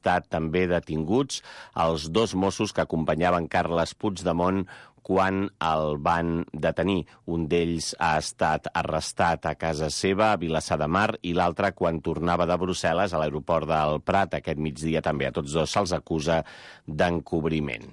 estat també detinguts els 2 Mossos que acompanyaven Carles Puigdemont quan el van detenir. Un d'ells ha estat arrestat a casa seva, a Vilassar de Mar, i l'altre quan tornava de Brussel·les a l'aeroport del Prat aquest migdia també. A tots 2 se'ls acusa d'encobriment.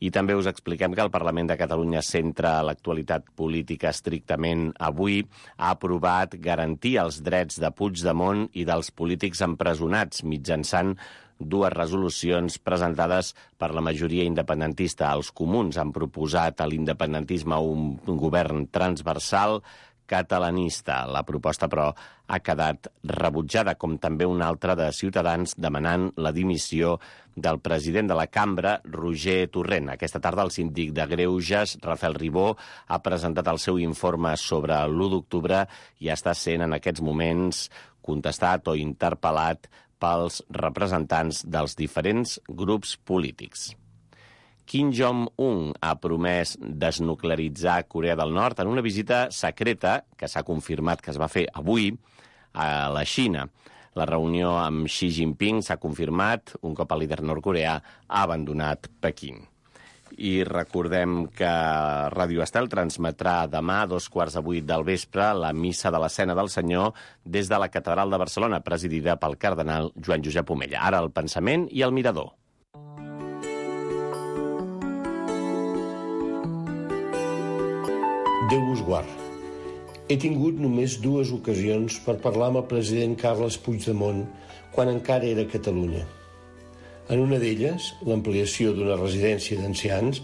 I també us expliquem que el Parlament de Catalunya centra l'actualitat política estrictament avui. Ha aprovat garantir els drets de Puigdemont i dels polítics empresonats mitjançant 2 resolucions presentades per la majoria independentista. Els comuns han proposat a l'independentisme un govern transversal catalanista. La proposta, però, ha quedat rebutjada, com també una altra de Ciutadans demanant la dimissió del president de la cambra, Roger Torrent. Aquesta tarda el síndic de Greuges, Rafael Ribó, ha presentat el seu informe sobre l'1 d'octubre i està sent en aquests moments contestat o interpel·lat pels representants dels diferents grups polítics. Kim Jong-un ha promès desnuclearitzar Corea del Nord en una visita secreta que s'ha confirmat que es va fer avui a la Xina. La reunió amb Xi Jinping s'ha confirmat un cop el líder nord-coreà ha abandonat Pequín. I recordem que Ràdio Estel transmetrà demà a 7:15 del vespre la missa de la Cena del Senyor des de la Catedral de Barcelona, presidida pel cardenal Joan Josep Omella. Ara el pensament i el mirador. Déu vos guard. He tingut només 2 ocasions per parlar amb el president Carles Puigdemont quan encara era a Catalunya. En una d'elles, l'ampliació d'una residència d'ancians,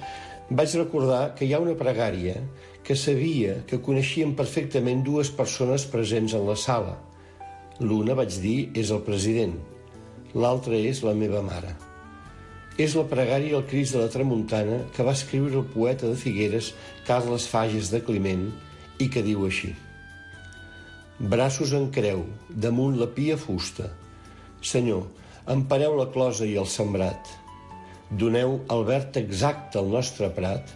vaig recordar que hi ha una pregària que sabia que coneixien perfectament 2 persones presents en la sala. L'una, vaig dir, és el president. L'altra és la meva mare. És la pregària al Crist de la Tramuntana que va escriure el poeta de Figueres, Carles Fages de Climent, i que diu així: braços en creu, damunt la pia fusta. Senyor, empareu la closa i el sembrat. Doneu el verd exacte al nostre prat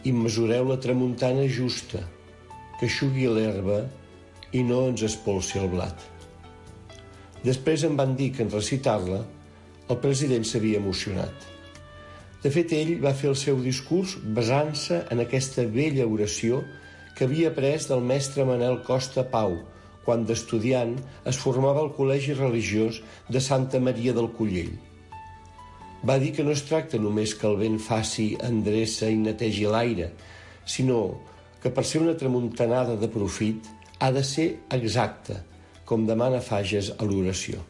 i mesureu la tramuntana justa, que eixugui l'herba i no ens espolsi el blat. Després em van dir que en recitar-la el president s'havia emocionat. De fet, ell va fer el seu discurs basant-se en aquesta vella oració que havia après del mestre Manel Costa Pau, quan d'estudiant es formava al Col·legi Religiós de Santa Maria del Collell. Va dir que no es tracta només que el vent faci endreça i netegi l'aire, sinó que per ser una tramuntanada de profit ha de ser exacta, com demana Fages a l'oració.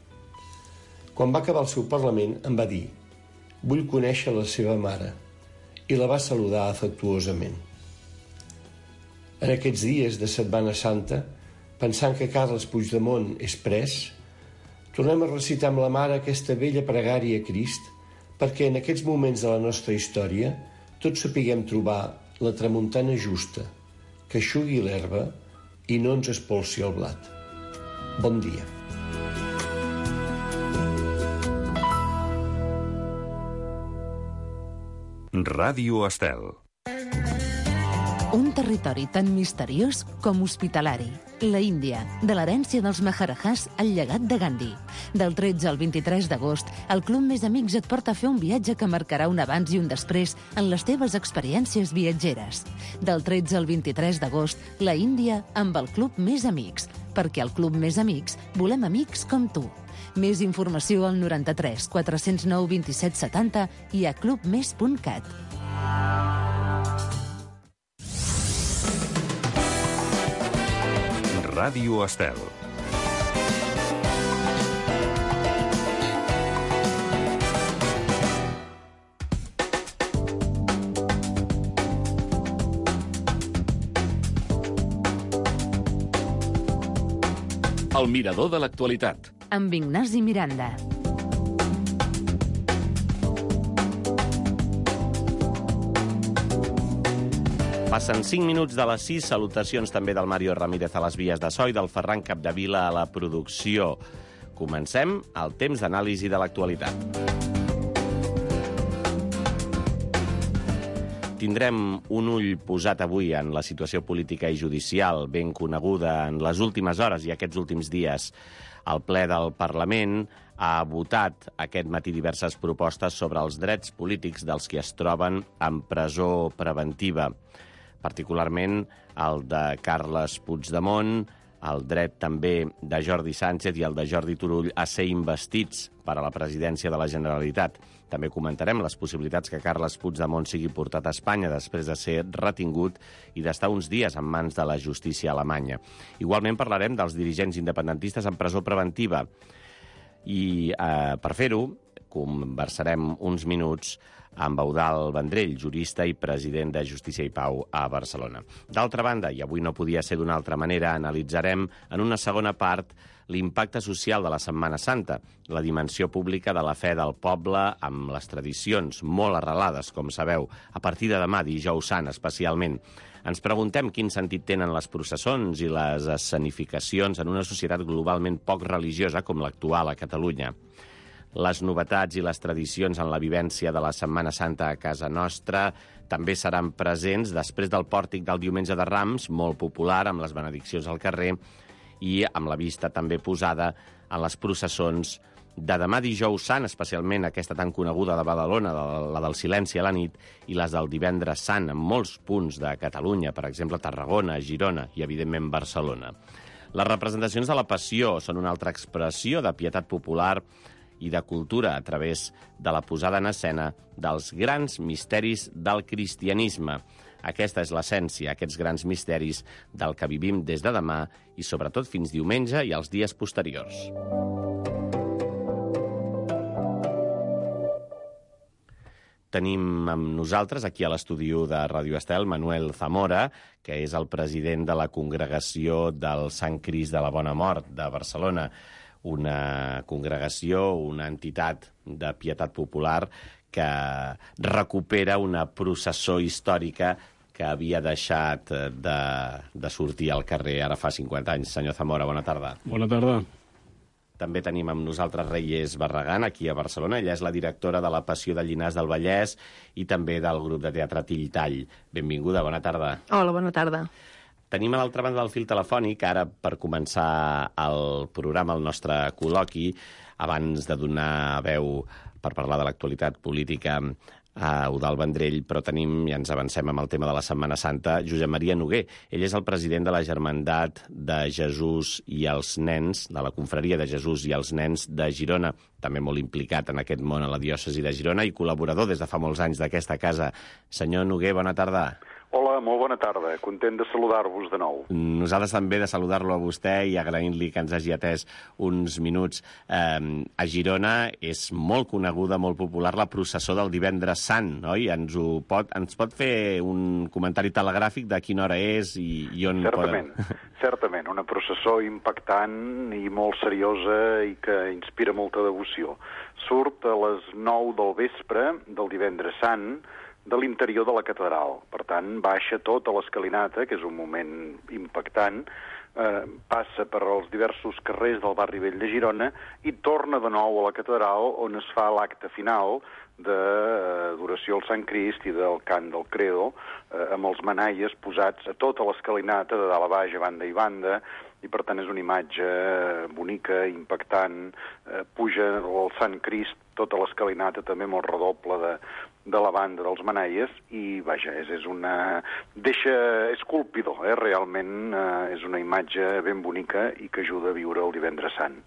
Quan va acabar el seu parlament em va dir: vull conèixer la seva mare, i la va saludar afectuosament. En aquests dies de Setmana Santa, pensant que Carles Puigdemont és pres, tornem a recitar amb la mare aquesta vella pregària a Crist perquè en aquests moments de la nostra història tots sapiguem trobar la tramuntana justa, que eixugui l'herba i no ens espolsi el blat. Bon dia. Ràdio Estel. Un territori tan misteriós com hospitalari. La Índia, de l'herència dels Maharajahs al llegat de Gandhi. Del 13 al 23 d'agost, el Club Més Amics et porta a fer un viatge que marcarà un abans i un després en les teves experiències viatgeres. Del 13 al 23 d'agost, la Índia amb el Club Més Amics. Perquè al Club Més Amics volem amics com tu. Més informació al 93 409 27 70 i a clubmes.cat. Ràdio Estel. El mirador de l'actualitat. Amb Ignasi Miranda. Passen 5 minuts de les 6. Salutacions també del Mario Ramírez a les vies de so i del Ferran Capdevila a la producció. Comencem el temps d'anàlisi de l'actualitat. Tindrem un ull posat avui en la situació política i judicial ben coneguda en les últimes hores i aquests últims dies. El ple del Parlament ha votat aquest matí diverses propostes sobre els drets polítics dels qui es troben en presó preventiva, particularment el de Carles Puigdemont, el dret també de Jordi Sánchez i el de Jordi Turull a ser investits per a la presidència de la Generalitat. També comentarem les possibilitats que Carles Puigdemont sigui portat a Espanya després de ser retingut i d'estar uns dies en mans de la justícia alemanya. Igualment parlarem dels dirigents independentistes en presó preventiva i per fer-ho conversarem uns minuts amb Eudald Vendrell, jurista i president de Justícia i Pau a Barcelona. D'altra banda, i avui no podia ser d'una altra manera, analitzarem en una segona part l'impacte social de la Setmana Santa, la dimensió pública de la fe del poble amb les tradicions molt arrelades, com sabeu, a partir de demà, dijous sant, especialment. Ens preguntem quin sentit tenen les processons i les escenificacions en una societat globalment poc religiosa com l'actual a Catalunya. Les novetats i les tradicions en la vivència de la Setmana Santa a casa nostra també seran presents després del pòrtic del Diumenge de Rams, molt popular, amb les benediccions al carrer, i amb la vista també posada en les processons de demà dijous sant, especialment aquesta tan coneguda de Badalona, la del silenci a la nit, i les del divendres sant, en molts punts de Catalunya, per exemple Tarragona, Girona i, evidentment, Barcelona. Les representacions de la Passió són una altra expressió de pietat popular i de cultura a través de la posada en escena dels grans misteris del cristianisme. Aquesta és l'essència, aquests grans misteris del que vivim des de demà i sobretot fins diumenge i els dies posteriors. Tenim amb nosaltres, aquí a l'estudi de Ràdio Estel, Manuel Zamora, que és el president de la Congregació del Sant Crist de la Bona Mort de Barcelona, una congregació, una entitat de pietat popular que recupera una processó històrica que havia deixat de sortir al carrer ara fa 50 anys. Senyor Zamora, bona tarda. Bona tarda. També tenim amb nosaltres Reyes Barragán, aquí a Barcelona. Ella és la directora de la Passió de Llinars del Vallès i també del grup de teatre Tilltall. Benvinguda, bona tarda. Hola, bona tarda. Tenim a l'altra banda del fil telefònic, ara per començar el programa, el nostre col·loqui, abans de donar veu per parlar de l'actualitat política a Eudald Vendrell, però tenim, i ens avancem amb el tema de la Setmana Santa, Josep Maria Noguer. Ell és el president de la Germandat de Jesús i els Nens, de la Confraria de Jesús i els Nens de Girona, també molt implicat en aquest món a la diòcesi de Girona i col·laborador des de fa molts anys d'aquesta casa. Senyor Noguer, bona tarda. Hola, molt bona tarda. Content de saludar-vos de nou. Nosaltres també de saludar-lo a vostè i agraint-li que ens hagi atès uns minuts. A Girona és molt coneguda, molt popular, la processó del divendres sant, oi? Ens pot fer un comentari telegràfic de quina hora és i on Certament, certament. Una processó impactant i molt seriosa i que inspira molta devoció. Surt a les 9 del vespre del divendres sant, de l'interior de la catedral. Per tant, baixa tota l'escalinata, que és un moment impactant, passa per els diversos carrers del barri vell de Girona i torna de nou a la catedral on es fa l'acte final d'adoració al Sant Crist i del cant del Credo, amb els manaies posats a tota l'escalinata, de dalt a baix, a banda i banda, i per tant és una imatge bonica, impactant, puja el Sant Crist, tota l'escalinata també molt redoble de la banda dels manaies i, vaja, és colpidor, realment és una imatge ben bonica i que ajuda a viure el divendres sant.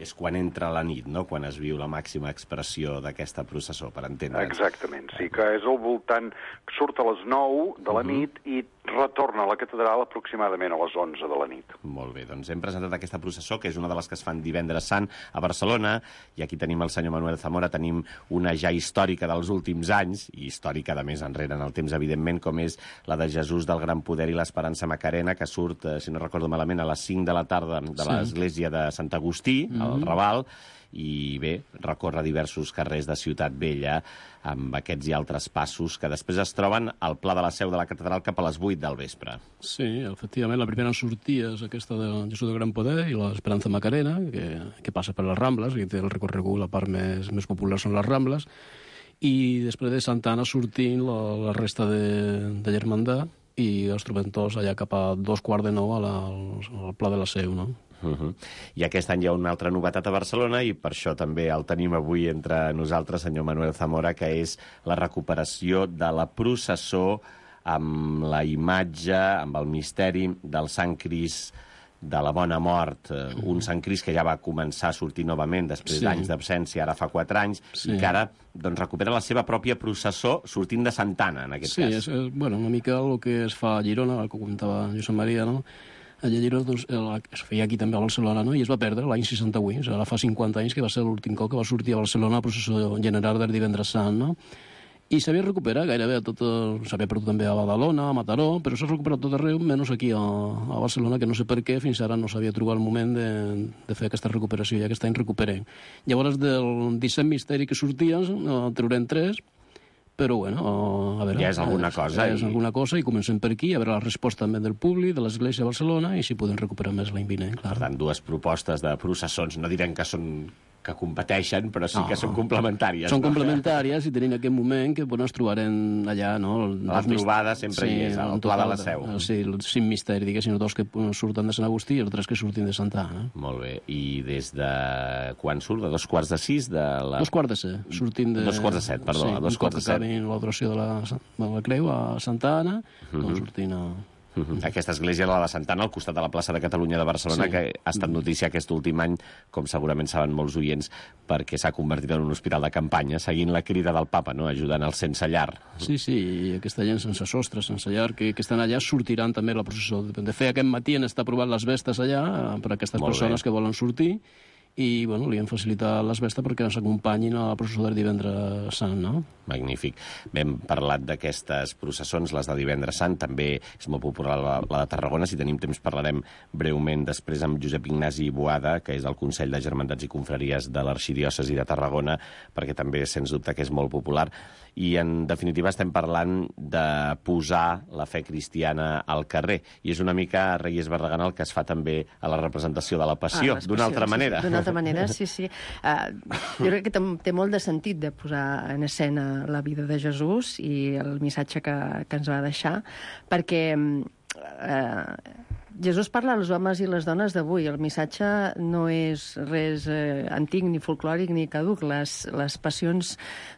És quan entra la nit, no?, quan es viu la màxima expressió d'aquesta processó, per entendre'ns. Exactament, sí, que és al voltant, surt a les 9 de la nit i retorna a la catedral aproximadament a les 11 de la nit. Molt bé, doncs hem presentat aquesta processó, que és una de les que es fan divendres sant a Barcelona, i aquí tenim el senyor Manuel Zamora, tenim una ja històrica dels últims anys, i històrica de més enrere en el temps, evidentment, com és la de Jesús del Gran Poder i l'Esperança Macarena, que surt, si no recordo malament, a les 5 de la tarda de l'església de Sant Agustí, al Raval, i bé, recorre diversos carrers de Ciutat Vella amb aquests i altres passos que després es troben al Pla de la Seu de la Catedral cap a les 8 del vespre. Sí, efectivament, la primera sortida és aquesta de Jesús del Gran Poder i l'Esperança Macarena, que passa per les Rambles, i té el recorregut, la part més popular són les Rambles, i després de Santa Anna sortint la resta de Germandat i els trobem tots allà cap a 8:45 al Pla de la Seu, no? I aquest any hi ha una altra novetat a Barcelona i per això també el tenim avui entre nosaltres, senyor Manuel Zamora, que és la recuperació de la processó amb la imatge, amb el misteri del Sant Crist de la Bona Mort, un Sant Crist que ja va començar a sortir novament després d'anys d'absència, ara fa 4 anys, i que ara recupera la seva pròpia processó sortint de Santa Anna, en aquest cas. Sí, és una mica el que es fa a Girona, el que comentava Josep Maria, no? Allà a Girona es feia aquí també a Barcelona, no? I es va perdre l'any 68, ara fa 50 anys que va ser l'últim cop que va sortir a Barcelona la processó general del Divendres Sant, no? I s'havia recuperat gairebé tot, s'havia perdut també a Badalona, a Mataró, però s'ha recuperat tot arreu, menys aquí a Barcelona, que no sé per què, fins ara no s'havia trobat el moment de fer aquesta recuperació, i aquest any recuperem. Llavors, del 17 misteri que sortien, treurem 3, però bueno, a veure... Ja és alguna cosa. Ja és alguna cosa, i comencem per aquí, a veure la resposta també del públic, de l'Església de Barcelona, i si podem recuperar més l'any vinent, clar. Per tant, 2 propostes de processons, no direm que competeixen, però sí que són complementàries. Són complementàries i tenim aquest moment que ens trobarem allà, no? La trobada sempre hi és, al Pla de la Seu. Sí, els 5 misteris, diguéssim, 2 que surten de Sant Agustí i els 3 que surtin de Santa Anna. Molt bé. I des de quan surt? De 2:45? 2:45. Sortim de... 2:45, perdó. Sí, un cop que acabin l'oració de la Creu a Santa Anna, doncs sortim a... Aquesta església, la de Santa Anna, al costat de la plaça de Catalunya de Barcelona, que ha estat notícia aquest últim any, com segurament saben molts oients, perquè s'ha convertit en un hospital de campanya, seguint la crida del papa, no? Ajudant els sense llar. Sí, i aquesta gent sense sostre, sense llar, que estan allà, sortiran també la processó. De fet, aquest matí han estat provant les vestes allà per a aquestes persones que volen sortir, i bueno, li han facilitat les vestes perquè ens acompanyin a la processó del Divendres Sant, no? Magnífic. Bé, hem parlat d'aquestes processons, les de Divendres Sant, també és molt popular la de Tarragona. Si tenim temps parlarem breument després amb Josep Ignasi Boada, que és el Consell de Germandats i Confraries de l'Arxidiòcesi de Tarragona, perquè també, sens dubte, que és molt popular. I, en definitiva, estem parlant de posar la fe cristiana al carrer. I és una mica Reyes Barragán el que es fa també a la representació de la Passió, d'una altra manera. D'una altra manera, sí. Jo crec que té molt de sentit de posar en escena la vida de Jesús i el missatge que ens va deixar, perquè Jesús parla als homes i les dones d'avui. El missatge no és res antic, ni folclòric, ni caduc. Les passions,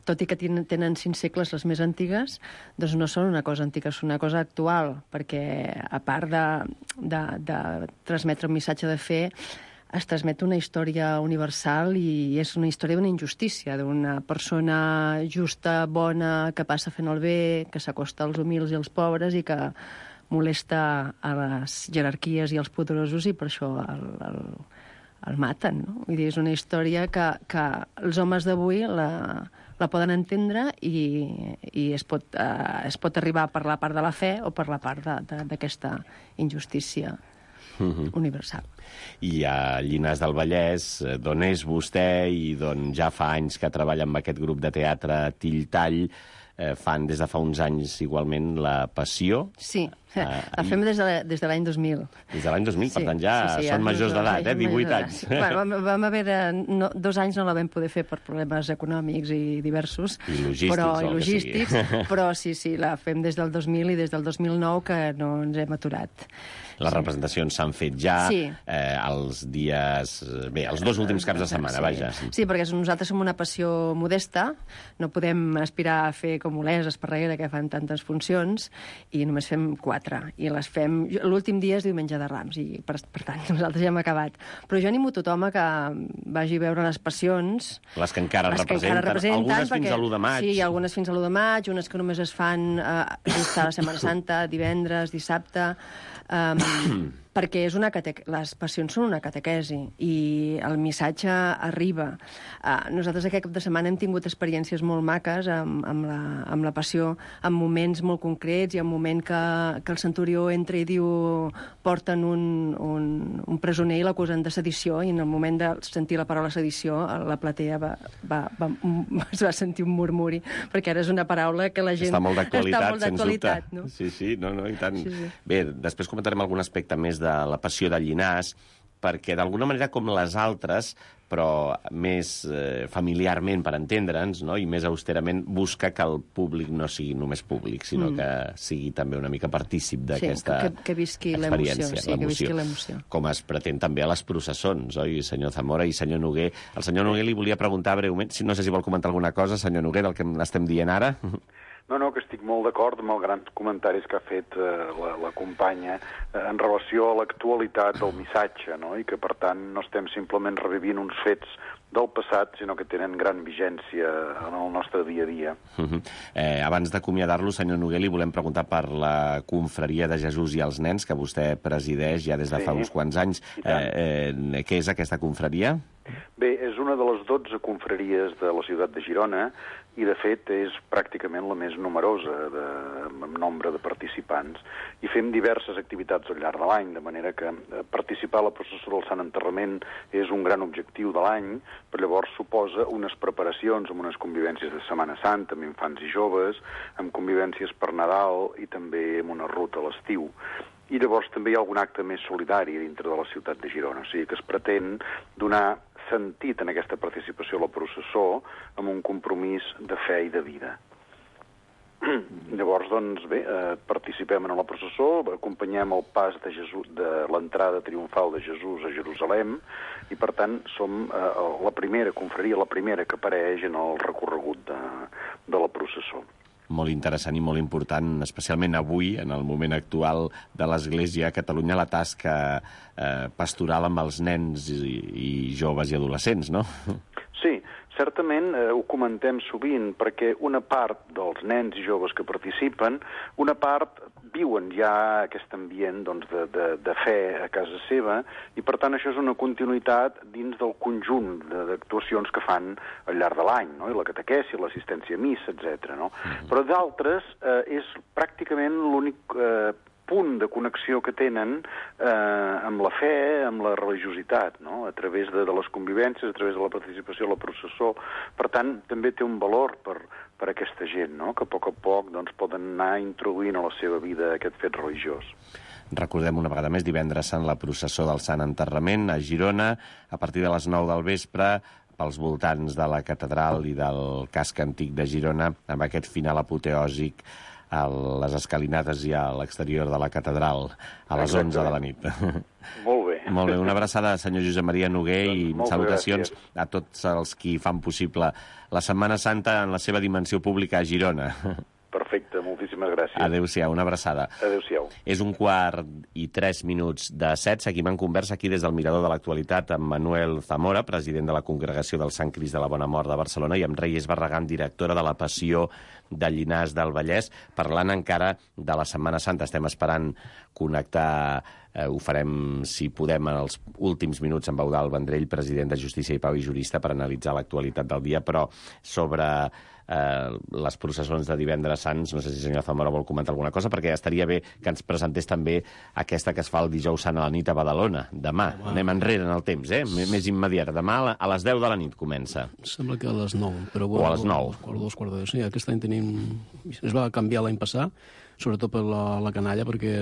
tot i que tenen 5 segles les més antigues, doncs no són una cosa antiga, són una cosa actual, perquè a part de transmetre un missatge de fe, es transmet una història universal i és una història d'una injustícia, d'una persona justa, bona, que passa fent el bé, que s'acosta als humils i als pobres i que molesta a les jerarquies i als poderosos i per això el maten, no? Vull dir, és una història que els homes d'avui la poden entendre i es pot arribar per la part de la fe o per la part d'aquesta injustícia universal. I a Llinars del Vallès, d'on és vostè i d'on ja fa anys que treballa amb aquest grup de teatre Tilltall, fan des de fa uns anys igualment la Passió. Sí, la fem des de l'any 2000. Des de l'any 2000, per tant ja són majors d'edat, 18 anys. Vam haver 2 anys no la vam poder fer per problemes econòmics i diversos. I logístics. Però sí, la fem des del 2000 i des del 2009 que no ens hem aturat. Les representacions s'han fet ja els dies... Bé, els 2 últims caps de setmana, vaja. Sí, perquè nosaltres som una passió modesta, no podem aspirar a fer com Olesa, Esparreguera, que fan tantes funcions, i només fem 4. I les fem... L'últim dia és Diumenge de Rams, i per tant nosaltres ja hem acabat. Però jo animo tothom a que vagi a veure les passions... Les que encara representen, algunes fins a l'1 de maig. Sí, algunes fins a l'1 de maig, unes que només es fan just a la Setmana Santa, divendres, dissabte... perquè les passions són una catequesi i el missatge arriba. Nosaltres aquest cap de setmana hem tingut experiències molt maques amb la passió, en moments molt concrets i en moment que el centurió entra i diu porten un presoner i l'acusen de sedició, i en el moment de sentir la paraula sedició la platea es va sentir un murmuri, perquè ara és una paraula que la gent... Està molt d'actualitat, no? Sí, no, i tant. Sí. Bé, després comentarem algun aspecte més de la Passió de Llinars, perquè d'alguna manera com les altres, però més familiarment, per entendre'ns, no? I més austerament, busca que el públic no sigui només públic, sinó que sigui també una mica partícip d'aquesta que visqui experiència, que visqui l'emoció. Com es pretén també a les processons, oi, senyor Zamora i senyor Noguer? El senyor Noguer li volia preguntar breument, no sé si vol comentar alguna cosa, senyor Noguer, del que estem dient ara. No, que estic molt d'acord amb els grans comentaris que ha fet la companya en relació a l'actualitat del missatge, no? I que, per tant, no estem simplement revivint uns fets del passat, sinó que tenen gran vigència en el nostre dia a dia. Abans d'acomiadar-lo, senyor Noguer, li volem preguntar per la Confraria de Jesús i els Nens, que vostè presideix ja des de fa uns quants anys. Què és aquesta confraria? Bé, és una de les 12 confraries de la ciutat de Girona i, de fet, és pràcticament la més numerosa en nombre de participants. I fem diverses activitats al llarg de l'any, de manera que participar a la processó del Sant Enterrament és un gran objectiu de l'any, però llavors suposa unes preparacions amb unes convivències de Setmana Santa, amb infants i joves, amb convivències per Nadal i també amb una ruta a l'estiu. I llavors també hi ha algun acte més solidari dintre de la ciutat de Girona, o sigui que es pretén donar sentit en aquesta participació a la processó amb un compromís de fe i de vida. Llavors, doncs, bé, participem en la processó, acompanyem el pas de l'entrada triomfal de Jesús a Jerusalem i, per tant, som la primera confraria, la primera que apareix en el recorregut de la processó. Molt interessant i molt important, especialment avui, en el moment actual de l'Església a Catalunya, la tasca pastoral amb els nens i joves i adolescents, no? Sí, certament ho comentem sovint, perquè una part dels nens i joves que participen, una part viuen ja aquest ambient de fe a casa seva i, per tant, això és una continuïtat dins del conjunt d'actuacions que fan al llarg de l'any, no? I la catequesi, l'assistència a missa, etc. No? Però d'altres és pràcticament l'únic punt de connexió que tenen amb la fe, amb la religiositat, no? A través de les convivències, a través de la participació a la processó. Per tant, també té un valor per aquesta gent, no? Que a poc doncs, poden anar introduint a la seva vida aquest fet religiós. Recordem una vegada més, divendres Sant, la processó del Sant Enterrament a Girona, a partir de les 9 del vespre, pels voltants de la catedral i del casc antic de Girona, amb aquest final apoteòsic a les escalinates i a l'exterior de la catedral a les 11 de la nit. Molt bé. Molt bé, una abraçada, senyor Josep Maria Noguer, i salutacions a tots els qui fan possible la Setmana Santa en la seva dimensió pública a Girona. Perfecte, moltíssimes gràcies. Adéu-siau, una abraçada. Adéu-siau. És 1:03 Seguim en conversa aquí des del Mirador de l'Actualitat amb Manuel Zamora, president de la Congregació del Sant Crist de la Bona Mort de Barcelona, i amb Reyes Barragán, directora de la Passió de Llinars del Vallès, parlant encara de la Setmana Santa. Estem esperant connectar, ho farem, si podem, en els últims minuts amb Eudald Vendrell, president de Justícia i Pau i jurista, per analitzar l'actualitat del dia, però sobre les processons de divendres sants, no sé si el senyor Zamora vol comentar alguna cosa, perquè estaria bé que ens presentés també aquesta que es fa el dijous sant a la nit a Badalona, demà. Anem enrere en el temps, més immediat. Demà a les 10 de la nit comença. Sembla que a les 9. Però o a les 9. Quart de 2, quart de 10. Sí, aquest any tenim... Es va canviar l'any passat, sobretot per la canalla, perquè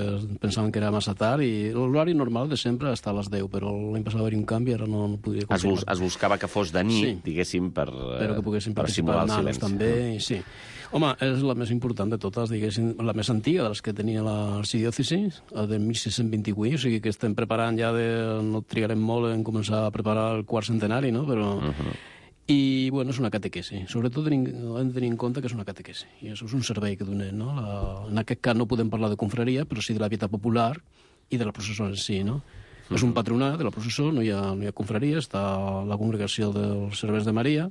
pensaven que era massa tard, i l'horari normal de sempre està a les 10, però l'any passat va haver un canvi, ara no podria continuar. Es buscava que fos de nit, sí, diguéssim, per simular el silenci. També, sí. Home, és la més important de totes, diguéssim, la més antiga de les que tenia l'arxidiòcesi, de 1628, o sigui que estem preparant ja no trigarem molt en començar a preparar el quart centenari, no?, però... I, bueno, és una catequesi. Sobretot hem de tenir en compte que és una catequesi. I això és un servei que donem, no? En aquest cas no podem parlar de confraria, però sí de la vida popular i de la processó en si, no? És un patronat de la processó, no hi ha confraria, està la congregació dels Servents de Maria,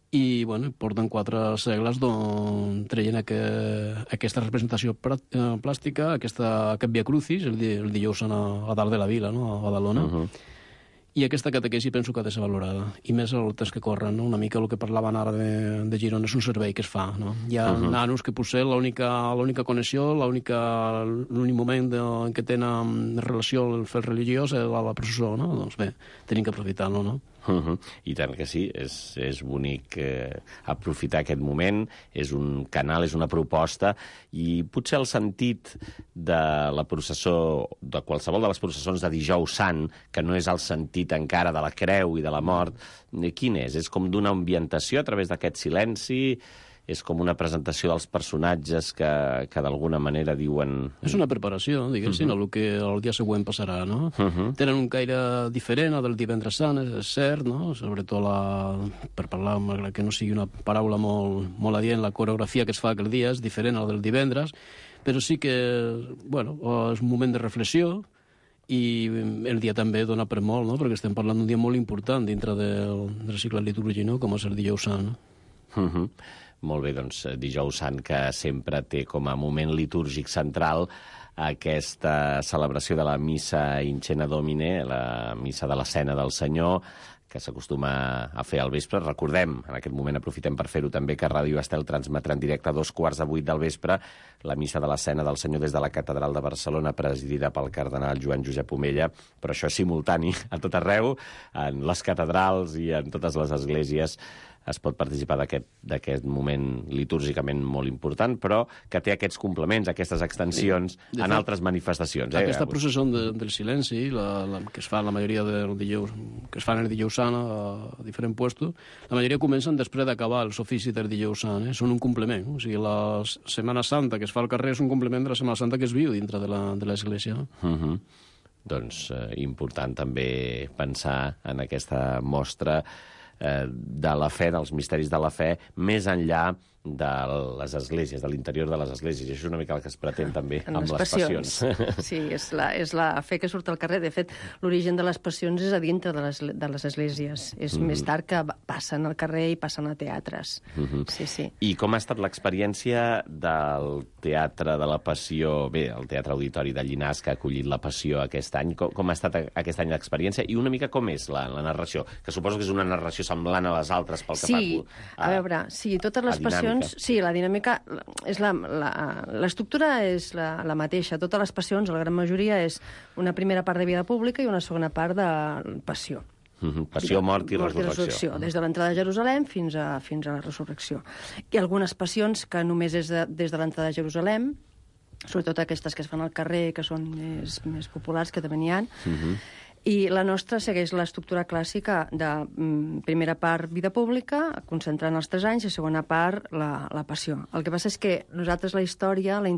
i, bueno, porten 4 segles traient aquesta representació plàstica, aquest Via Crucis, el dijous a dalt de la vila, no?, a Badalona. I aquesta catequesi penso que ha de ser valorada, i més el temps que corren, no? Una mica el que parlaven ara de Girona és un servei que es fa, no? Hi ha nanos que potser l'única connexió, l'únic moment en què tenen relació el fet religiós és la processó, no? Doncs bé, tenim que aprofitar-lo, no? I tant que sí, és bonic aprofitar aquest moment, és un canal, és una proposta, i potser el sentit de la processó, de qualsevol de les processons de Dijous Sant, que no és el sentit encara de la creu i de la mort, quin és? És com d'una ambientació a través d'aquest silenci? És com una presentació dels personatges que d'alguna manera diuen... És una preparació, diguéssim, el que el dia següent passarà, no? Tenen un caire diferent al del divendres sant, és cert, no? Sobretot, per parlar, malgrat que no sigui una paraula molt adient, la coreografia que es fa aquell dia és diferent al del divendres, però sí que, bueno, és un moment de reflexió, i el dia també dona per molt, no? Perquè estem parlant d'un dia molt important dintre del cicle litúrgic, no? Com és el Dijous Sant, no? Molt bé, doncs Dijous Sant, que sempre té com a moment litúrgic central aquesta celebració de la Missa in Cena Domine, la Missa de la Cena del Senyor, que s'acostuma a fer al vespre. Recordem, en aquest moment aprofitem per fer-ho també, que Ràdio Estel transmetrà en directe a 2:15 del vespre la Missa de la Cena del Senyor des de la Catedral de Barcelona, presidida pel cardenal Joan Josep Omella, però això és simultani a tot arreu, en les catedrals i en totes les esglésies. Es pot participar d'aquest moment litúrgicament molt important, però que té aquests complements, aquestes extensions en altres manifestacions. Aquesta processó del silenci, que es fa la majoria del dijous, que es fan el Dijous Sant a diferents puestos, la majoria comencen després d'acabar els oficis del Dijous Sant, són un complement. O sigui, la Setmana Santa que es fa al carrer és un complement de la Setmana Santa que es viu dintre de l'Església. Doncs important també pensar en aquesta mostra de la fe, dels misteris de la fe, més enllà de les esglésies, de l'interior de les esglésies. I això és una mica el que es pretén també amb les passions. Sí, és la fe que surt al carrer. De fet, l'origen de les passions és a dintre de les esglésies. És més tard que passen al carrer i passen a teatres. Sí. I com ha estat l'experiència del Teatre de la Passió, bé, el Teatre Auditori de Llinars, que ha acollit la Passió aquest any? Com ha estat aquest any l'experiència? I una mica com és la narració? Que suposo que és una narració semblant a les altres pel que fa a veure, totes les passions. Sí, la dinàmica és l'estructura és la mateixa. Totes les passions, la gran majoria, és una primera part de vida pública i una segona part de passió. Passió, mort i resurrecció. Des de l'entrada a Jerusalem fins a la resurrecció. I algunes passions que només és des de l'entrada a Jerusalem, sobretot aquestes que es fan al carrer, que són més populars, que també n'hi ha. I la nostra segueix l'estructura clàssica de primera part vida pública, concentrant els 3 anys, i segona part la passió. El que passa és que nosaltres la història l'hem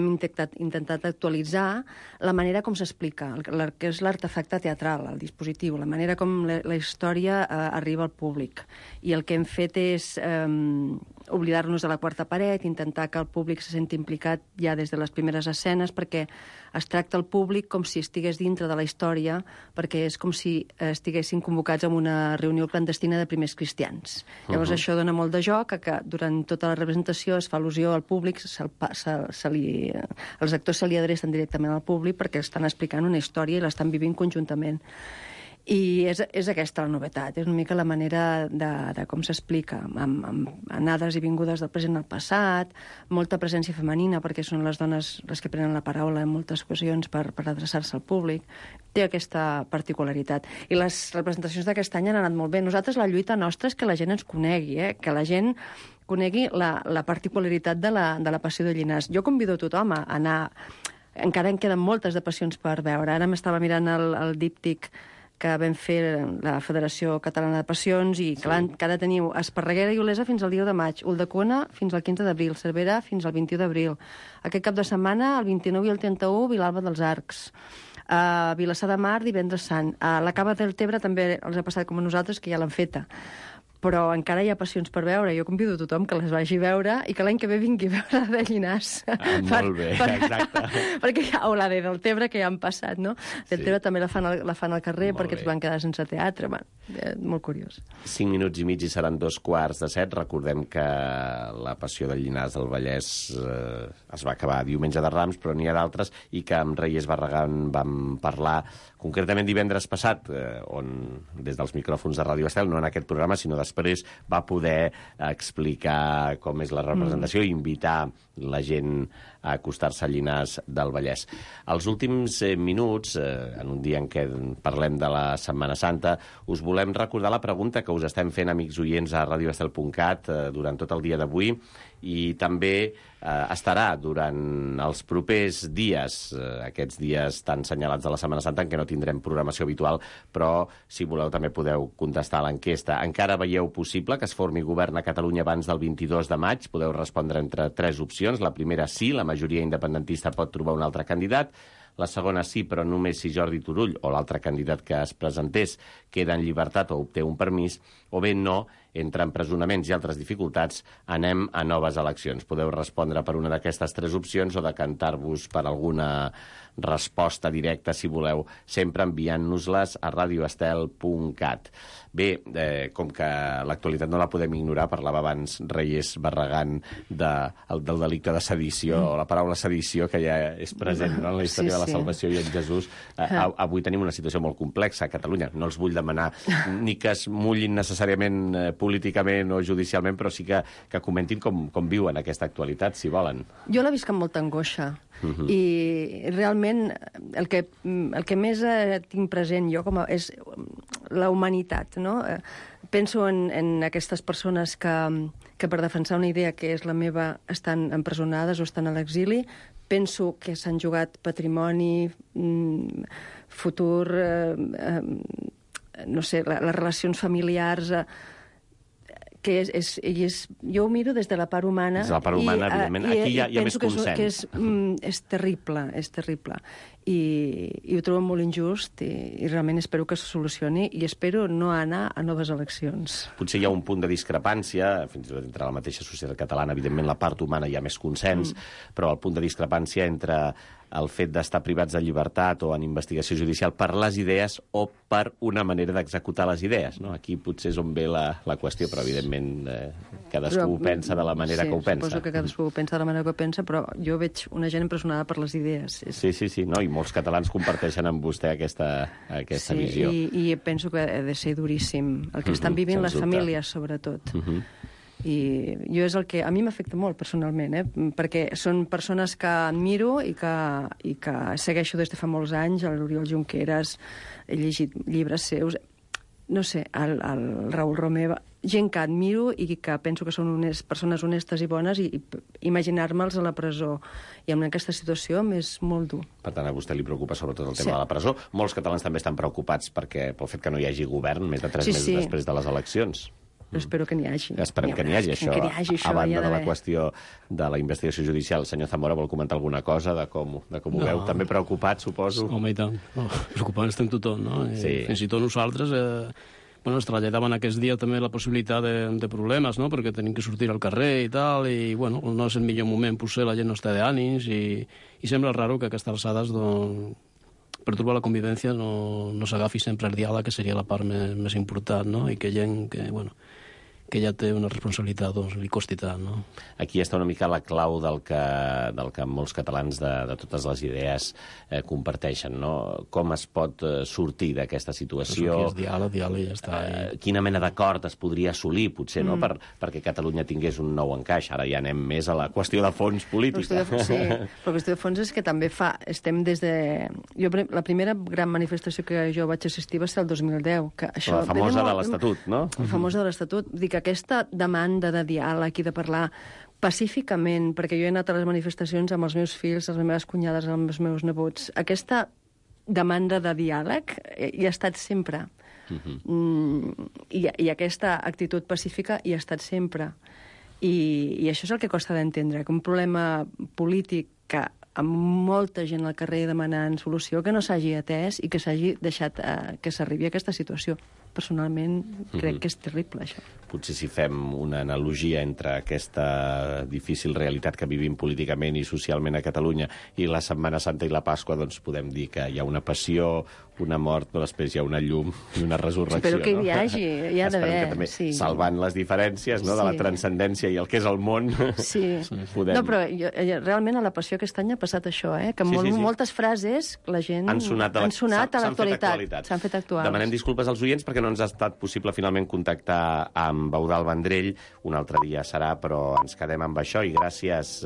intentat actualitzar la manera com s'explica, que és l'artefacte teatral, el dispositiu, la manera com la història arriba al públic. I el que hem fet és oblidar-nos de la quarta paret, intentar que el públic se senti implicat ja des de les primeres escenes, perquè es tracta el públic com si estigués dintre de la història, perquè és com si estiguessin convocats en una reunió clandestina de primers cristians. Llavors això dona molt de joc, que durant tota la representació es fa al·lusió al públic, els actors se li adrecen directament al públic perquè estan explicant una història i l'estan vivint conjuntament. I és aquesta la novetat, és una mica la manera de com s'explica, amb anades i vingudes del present al passat, molta presència femenina, perquè són les dones les que prenen la paraula en moltes ocasions per adreçar-se al públic. Té aquesta particularitat. I les representacions d'aquest any han anat molt bé. Nosaltres la lluita nostra és que la gent ens conegui, que la gent conegui la particularitat de la Passió de Llinars. Jo convido a tothom a anar. Encara en queden moltes de passions per veure. Ara m'estava mirant el díptic que vam fer la Federació Catalana de Passions i que ha de tenir Esparreguera i Olesa fins al dia de maig, Ulldecona fins al 15 d'abril, Cervera fins al 21 d'abril. Aquest cap de setmana, el 29 i el 31, Vilalba dels Arcs. A Vilassar de Mar, divendres sant. A la Cava del Tebre també els ha passat com a nosaltres, que ja l'han feta. Però encara hi ha passions per veure. Jo convido a tothom que les vagi a veure i que l'any que ve vingui a veure la de Llinars. Molt bé, exacte. Perquè o la de Deltebre, que ja han passat, no? Deltebre també la fan al carrer perquè es van quedar sense teatre. Molt curiós. 5 minuts i mig i seran 2:15. Recordem que la Passió de Llinars del Vallès es va acabar diumenge de Rams, però n'hi ha d'altres, i que amb Reyes Barragán vam parlar Concretament divendres passat, on des dels micròfons de Ràdio Estel, no en aquest programa, sinó després, va poder explicar com és la representació i invitar la gent a acostar-se a Llinars del Vallès. Els últims minuts, en un dia en què parlem de la Setmana Santa, us volem recordar la pregunta que us estem fent, amics oients, a radioestel.cat durant tot el dia d'avui, i també estarà durant els propers dies, aquests dies tan senyalats de la Setmana Santa en què no tindrem programació habitual, però si voleu també podeu contestar a l'enquesta. Encara veieu possible que es formi govern a Catalunya abans del 22 de maig? Podeu respondre entre 3 opcions. La primera, sí, la majoria independentista pot trobar un altre candidat. La segona, sí, però només si Jordi Turull o l'altre candidat que es presentés queda en llibertat o obté un permís, o bé no, entre empresonaments i altres dificultats, anem a noves eleccions. Podeu respondre per una d'aquestes 3 opcions o decantar-vos per alguna resposta directa, si voleu, sempre enviant-nos-les a radioestel.cat. Bé, com que l'actualitat no la podem ignorar, parlava abans Reyes Barragán del delicte de sedició, o la paraula sedició, que ja és present, no?, en la història de la salvació i en Jesús. Avui tenim una situació molt complexa a Catalunya. No els vull demanar ni que es mullin necessàriament políticament o judicialment, però sí que comentin com viuen aquesta actualitat, si volen. Jo la visc amb molta angoixa. I realment el que més tinc present jo és la humanitat, no? Penso en aquestes persones que per defensar una idea que és la meva estan empresonades o estan a l'exili. Penso que s'han jugat patrimoni, futur, no sé, les relacions familiars, jo ho miro des de la part humana. Des de la part humana, evidentment. Aquí hi ha més consens. És terrible, és terrible. I ho trobo molt injust i realment espero que se solucioni i espero no anar a noves eleccions. Potser hi ha un punt de discrepància, fins i tot entre la mateixa societat catalana, evidentment la part humana hi ha més consens, però el punt de discrepància entre el fet d'estar privats de llibertat o en investigació judicial per les idees o per una manera d'executar les idees, no? Aquí potser és on ve la qüestió, però evidentment cadascú ho pensa de la manera que ho pensa. Sí, suposo que cadascú ho pensa de la manera que ho pensa, però jo veig una gent empresonada per les idees. Sí, no? I molts catalans comparteixen amb vostè aquesta visió. I penso que ha de ser duríssim. El que estan vivint les famílies, sobretot. I jo és el que a mi m'afecta molt personalment, perquè són persones que admiro i que segueixo des de fa molts anys, l'Oriol Junqueras, he llegit llibres seus, no sé, el Raül Romeva, gent que admiro i que penso que són persones honestes i bones, i imaginar-me'ls a la presó i en aquesta situació m'és molt dur. Per tant, a vostè li preocupa sobretot el tema de la presó. Molts catalans també estan preocupats pel fet que no hi hagi govern més de 3 mesos després de les eleccions. Però espero que n'hi hagi. Esperem que n'hi hagi, això. A banda de la qüestió de la investigació judicial, el senyor Zamora vol comentar alguna cosa de com ho veu? També preocupat, suposo? Home, i tant. Preocupat estem tothom, no? Fins i tot nosaltres es traslladaven aquest dia també la possibilitat de problemes, no? Perquè tenim que sortir al carrer i tal, i no és el millor moment, potser la gent no està d'ànims, i sembla raro que a aquestes alçades per trobar la convivència no s'agafi sempre el diàleg, que seria la part més important, no? I que gent que ja té una responsabilitat, li costi tant, no? Aquí està una mica la clau del que molts catalans de totes les idees comparteixen, no? Com es pot sortir d'aquesta situació? És diàleg, ja està. Quina mena d'acord es podria assolir, potser, no? Perquè Catalunya tingués un nou encaix. Ara ja anem més a la qüestió de fons política. Sí, la qüestió de fons és que també estem des de... La primera gran manifestació que jo vaig assistir va ser el 2010. La famosa de l'Estatut, no? La famosa de l'Estatut. Dic, aquesta demanda de diàleg i de parlar pacíficament, perquè jo he anat a les manifestacions amb els meus fills, les meves cunyades, amb els meus nebots, aquesta demanda de diàleg hi ha estat sempre. I aquesta actitud pacífica hi ha estat sempre. I això és el que costa d'entendre, que un problema polític que amb molta gent al carrer demanant solució, que no s'hagi atès i que s'hagi deixat que s'arribi a aquesta situació. Personalment, crec que és terrible, això. Potser si fem una analogia entre aquesta difícil realitat que vivim políticament i socialment a Catalunya i la Setmana Santa i la Pasqua, doncs podem dir que hi ha una passió, una mort, però després hi ha una llum i una resurrecció. Espero que hi hagi, hi ha d'haver. Que també, salvant les diferències, no?, de la transcendència i el que és el món, podem... No, però realment a la Passió aquest any ha passat això, que moltes frases la gent han sonat a l'actualitat. S'han fet actuals. Demanem disculpes als oients perquè no ens ha estat possible finalment contactar amb Eudald Vendrell. Un altre dia serà, però ens quedem amb això i gràcies...